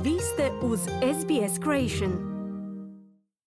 Vi ste uz SBS Creation.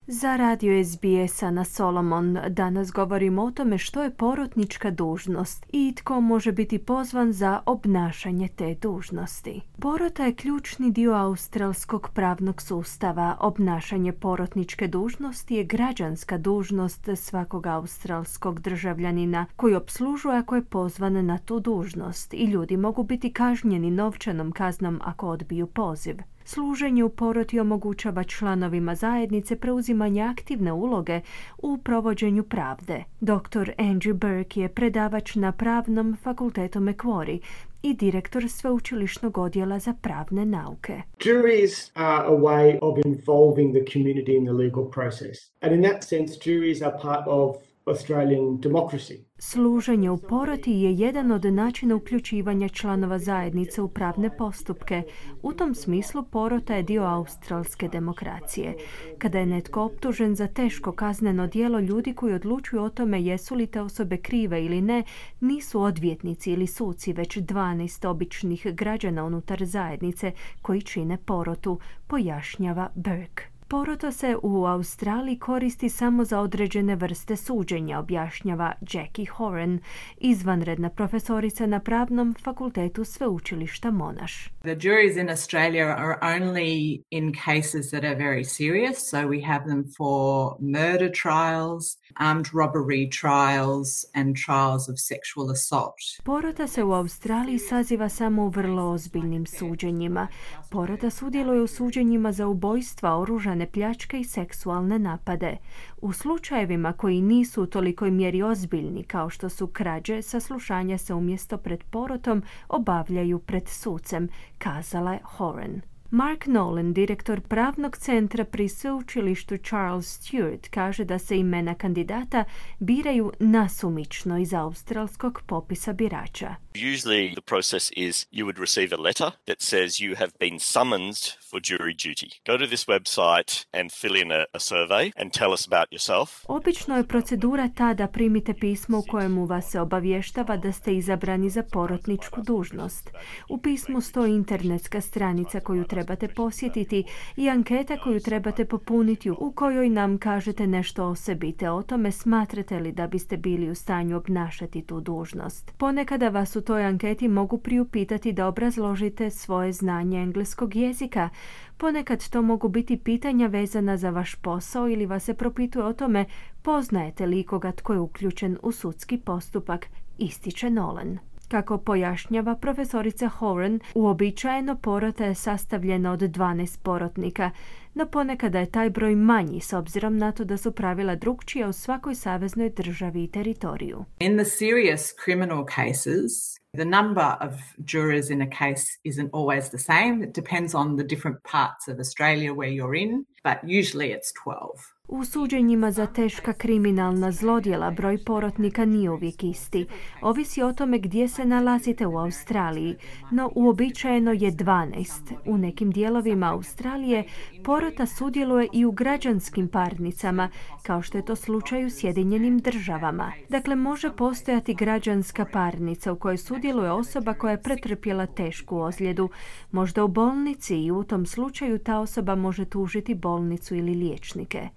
Za radio SBS-a na Solomon danas govorimo o tome što je porotnička dužnost i tko može biti pozvan za obnašanje te dužnosti. Porota je ključni dio australskog pravnog sustava. Obnašanje porotničke dužnosti je građanska dužnost svakog australskog državljanina koji opslužuje ako je pozvan na tu dužnost i ljudi mogu biti kažnjeni novčanom kaznom ako odbiju poziv. Služenje u poroti omogućava članovima zajednice preuzimanje aktivne uloge u provođenju pravde. Dr. Andrew Burke je predavač na Pravnom fakultetu Macquarie i direktor sveučilišnog odjela za pravne nauke. Juries are a way of involving the community in the legal process. And in that sense, juries are part of Australian democracy. Služenje u poroti je jedan od načina uključivanja članova zajednice u pravne postupke. U tom smislu porota je dio australske demokracije. Kada je netko optužen za teško kazneno djelo, ljudi koji odlučuju o tome jesu li te osobe krive ili ne, nisu odvjetnici ili suci, već 12 običnih građana unutar zajednice koji čine porotu, pojašnjava Burke. Porota se u Australiji koristi samo za određene vrste suđenja, objašnjava Jackie Horan, izvanredna profesorica na Pravnom fakultetu sveučilišta Monash. The juries in Australia are only in cases that are very serious, so we have them for murder trials, armed robbery trials and trials of sexual assault. Porota se u Australiji saziva samo u vrlo ozbiljnim suđenjima. Porota sudjeluje u suđenjima za ubojstva, oružane pljačke i seksualne napade. U slučajevima koji nisu u tolikoj mjeri ozbiljni kao što su krađe, saslušanja se umjesto pred porotom obavljaju pred sucem, kazala je Horan. Mark Nolan, direktor pravnog centra pri sveučilištu Charles Sturt, kaže da se imena kandidata biraju nasumično iz australskog popisa birača. Usually the process is you would receive a letter that says you have been summoned for jury duty. Go to this website and fill in a survey and tell us about yourself. Obično je procedura ta da primite pismo u kojemu vas se obavještava da ste izabrani za porotničku dužnost. U pismu stoji internetska stranica koju trebate posjetiti i anketa koju trebate popuniti u kojoj nam kažete nešto o sebi te o tome smatrate li da biste bili u stanju obnašati tu dužnost. Ponekada vas u toj anketi mogu priupitati da obrazložite svoje znanje engleskog jezika. Ponekad to mogu biti pitanja vezana za vaš posao ili vas se propituje o tome poznajete li ikoga tko je uključen u sudski postupak, ističe Nolan. Kako pojašnjava profesorica Horan, uobičajeno porota je sastavljena od 12 porotnika, no ponekada je taj broj manji s obzirom na to da su pravila drukčija u svakoj saveznoj državi i teritoriju. In the serious criminal cases, the number of jurors in a case isn't always the same. It depends on the different parts of Australia where you're in, but usually it's 12. U suđenjima za teška kriminalna zlodjela broj porotnika nije uvijek isti. Ovisi o tome gdje se nalazite u Australiji, no uobičajeno je 12. U nekim dijelovima Australije porota sudjeluje i u građanskim parnicama, kao što je to slučaj u Sjedinjenim Državama. Dakle, može postojati građanska parnica u kojoj sudjeluje osoba koja je pretrpjela tešku ozljedu, možda u bolnici i u tom slučaju ta osoba može tužiti bolnicu ili liječnike.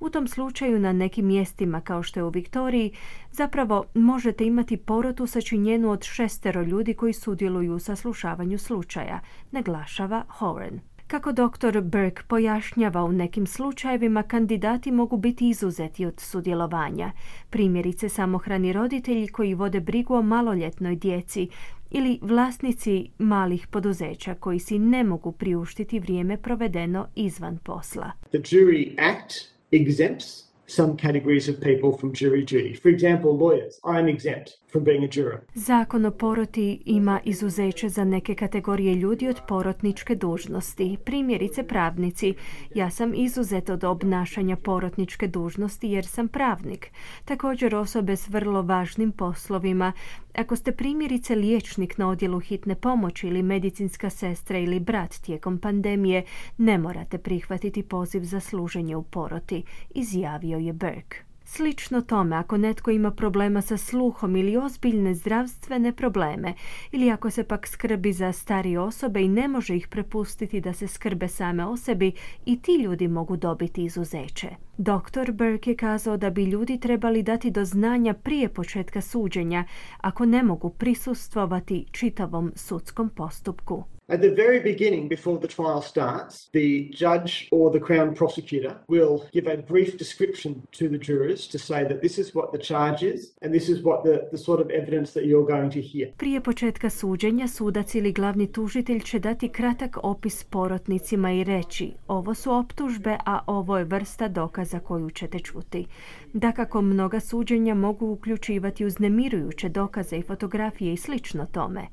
U tom slučaju na nekim mjestima kao što je u Viktoriji zapravo možete imati porotu sačinjenu od 6 ljudi koji sudjeluju u saslušavanju slučaja, naglašava Horan. Kako dr. Burke pojašnjava, u nekim slučajevima kandidati mogu biti izuzeti od sudjelovanja. Primjerice samohrani roditelji koji vode brigu o maloljetnoj djeci ili vlasnici malih poduzeća koji si ne mogu priuštiti vrijeme provedeno izvan posla. The Jury Act exempts some categories of people from jury duty. For example, lawyers. I am exempt from being a juror. Zakon o poroti ima izuzeće za neke kategorije ljudi od porotničke dužnosti. Primjerice pravnici. Ja sam izuzet od obnašanja porotničke dužnosti jer sam pravnik. Također osobe s vrlo važnim poslovima. Ako ste primjerice liječnik na odjelu hitne pomoći ili medicinska sestra ili brat tijekom pandemije, ne morate prihvatiti poziv za služenje u poroti, izjavio je Burke. Slično tome, ako netko ima problema sa sluhom ili ozbiljne zdravstvene probleme, ili ako se pak skrbi za starije osobe i ne može ih prepustiti da se skrbe same o sebi, i ti ljudi mogu dobiti izuzeće. Dr. Burke je kazao da bi ljudi trebali dati do znanja prije početka suđenja ako ne mogu prisustvovati čitavom sudskom postupku. At the very beginning, before the trial starts, the judge or the Crown prosecutor will give a brief description to the jurors to say that this is what the charge is and this is what the sort of evidence that you're going to hear. Prije početka suđenja, sudac ili glavni tužitelj će dati kratak opis porotnicima i reći: ovo su optužbe, a ovo je vrsta dokaza koju ćete čuti. Dakako, mnoga suđenja mogu uključivati uznemirujuće dokaze i fotografije i slično tome.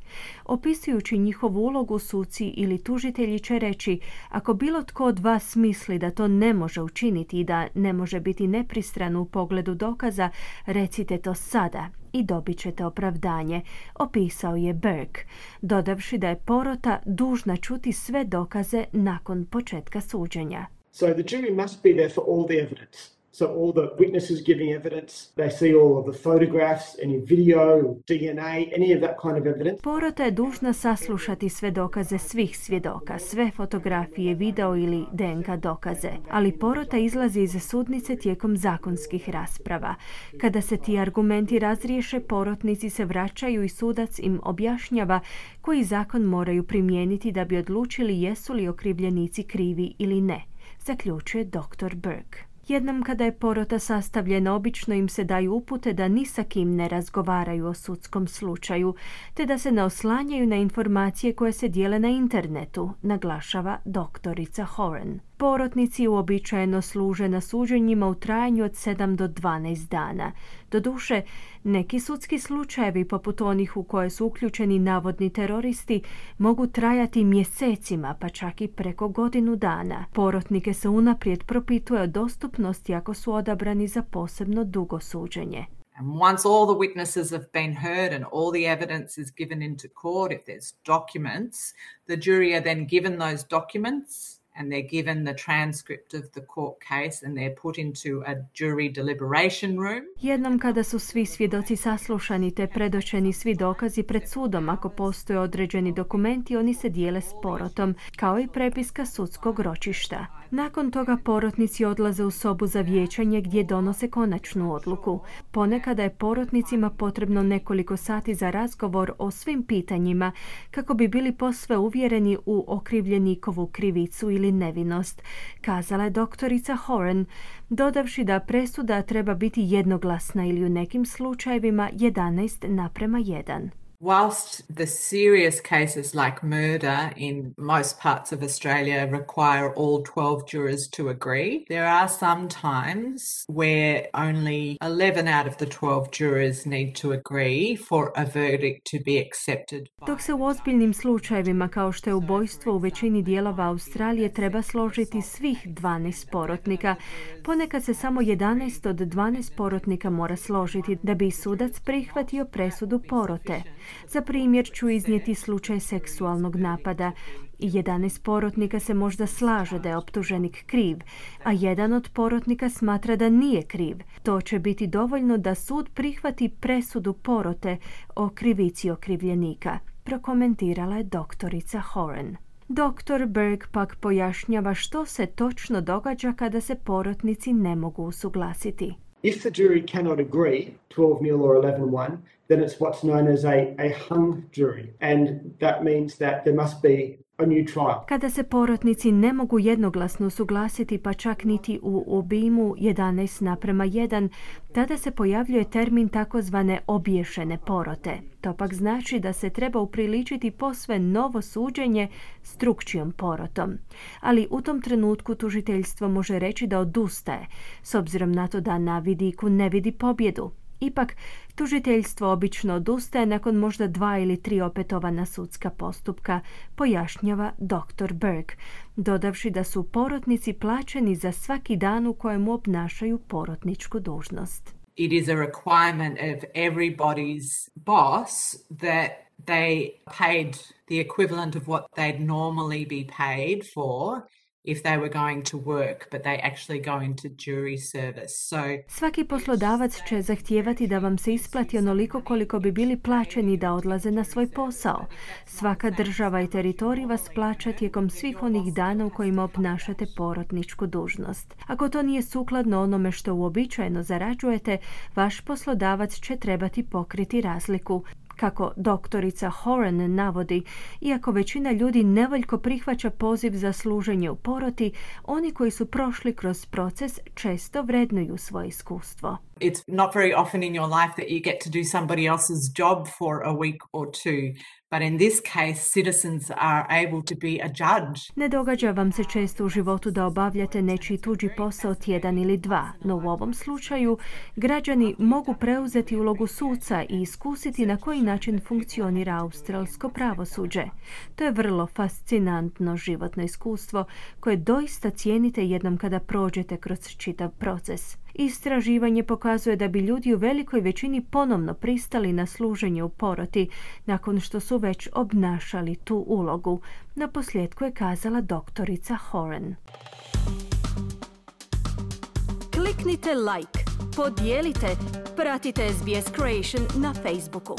Opisujući njihovu ulogu, suci ili tužitelji će reći: ako bilo tko od vas misli da to ne može učiniti i da ne može biti nepristran u pogledu dokaza, recite to sada i dobit ćete opravdanje, opisao je Burke, dodavši da je porota dužna čuti sve dokaze nakon početka suđenja. So the jury must be there for all the evidence. So all the witnesses giving evidence, they see all of the photographs, any video, DNA, any of that kind of evidence. Porota je dužna saslušati sve dokaze svih svjedoka, sve fotografije, video ili DNK dokaze, ali porota izlazi iz sudnice tijekom zakonskih rasprava. Kada se ti argumenti razriješe, porotnici se vraćaju i sudac im objašnjava koji zakon moraju primijeniti da bi odlučili jesu li okrivljenici krivi ili ne, zaključuje dr. Burke. Jednom kada je porota sastavljena, obično im se daju upute da ni sa kim ne razgovaraju o sudskom slučaju, te da se ne oslanjaju na informacije koje se dijele na internetu, naglašava doktorica Horan. Porotnici uobičajeno služe na suđenjima u trajanju od 7 do 12 dana. Doduše, neki sudski slučajevi, poput onih u koje su uključeni navodni teroristi, mogu trajati mjesecima, pa čak i preko godinu dana. Porotnike se unaprijed propituje o dostupnosti ako su odabrani za posebno dugo suđenje. And once all the witnesses have been heard and all the evidence is given into court, if there's documents, the jury are then given those documents and they're given the transcript of the court case and they're put into a jury deliberation room. Jednom kada su svi svjedoci saslušani te predočeni svi dokazi pred sudom, ako postoje određeni dokumenti, oni se dijele s porotom, kao i prepiska sudskog ročišta. Nakon toga porotnici odlaze u sobu za vijećanje gdje donose konačnu odluku. Ponekada je porotnicima potrebno nekoliko sati za razgovor o svim pitanjima kako bi bili posve uvjereni u okrivljenikovu krivicu ili nevinost, kazala je doktorica Horan, dodavši da presuda treba biti jednoglasna ili u nekim slučajevima 11:1. Whilst the serious cases like murder in most parts of Australia require all 12 jurors to agree, there are some times where only 11 out of the 12 jurors need to agree for a verdict to be accepted. Dok se u ozbiljnim slučajevima kao što je ubojstvo u većini dijelova Australije treba složiti svih 12 porotnika, ponekad se samo 11 od 12 porotnika mora složiti da bi sudac prihvatio presudu porote. Za primjer ću iznijeti slučaj seksualnog napada. 11 porotnika se možda slaže da je optuženik kriv, a jedan od porotnika smatra da nije kriv. To će biti dovoljno da sud prihvati presudu porote o krivici okrivljenika, prokomentirala je doktorica Horan. Dr. Burke pak pojašnjava što se točno događa kada se porotnici ne mogu usuglasiti. If the jury cannot agree 12-0 or 11-1, then it's what's known as a hung jury, and that means that there must be a new trial. Kada se porotnici ne mogu jednoglasno usuglasiti, pa čak niti u obimu 11:1, tada se pojavljuje termin takozvane obješene porote. To pak znači da se treba upriličiti posve novo suđenje s drukčijom porotom. Ali u tom trenutku tužiteljstvo može reći da odustaje, s obzirom na to da na vidiku ne vidi pobjedu. Ipak, tužiteljstvo obično odustaje nakon možda 2 ili 3 opetovana sudska postupka, pojašnjava dr. Burke, dodavši da su porotnici plaćeni za svaki dan u kojemu obnašaju porotničku dužnost. It is a requirement of everybody's boss that they paid the equivalent of what they'd normally be paid for if they were going to work, but they actually go into jury service. So Svaki poslodavac će zahtijevati da vam se isplati onoliko koliko bi bili plaćeni da odlaze na svoj posao. Svaka država i teritorij vas plaća tijekom svih onih dana u kojima obnašate porotničku dužnost. Ako to nije sukladno onome što uobičajeno zarađujete, vaš poslodavac će trebati pokriti razliku. Kako doktorica Horan navodi, iako većina ljudi nevoljko prihvaća poziv za služenje u poroti, oni koji su prošli kroz proces često vrednuju svoje iskustvo. it's not very often in your life that you get to do somebody else's job for a week or two. But in this case, citizens are able to be a judge. Ne događa vam se često u životu da obavljate nečiji tuđi posao tjedan ili dva, no u ovom slučaju građani mogu preuzeti ulogu suca i iskusiti na koji način funkcionira australsko pravosuđe. To je vrlo fascinantno životno iskustvo koje doista cijenite jednom kada prođete kroz čitav proces. Istraživanje pokazuje da bi ljudi u velikoj većini ponovno pristali na služenje u poroti nakon što su već obnašali tu ulogu. Na posljedku je kazala doktorica Horan. Kliknite like, podijelite, pratite SBS Creation na Facebooku.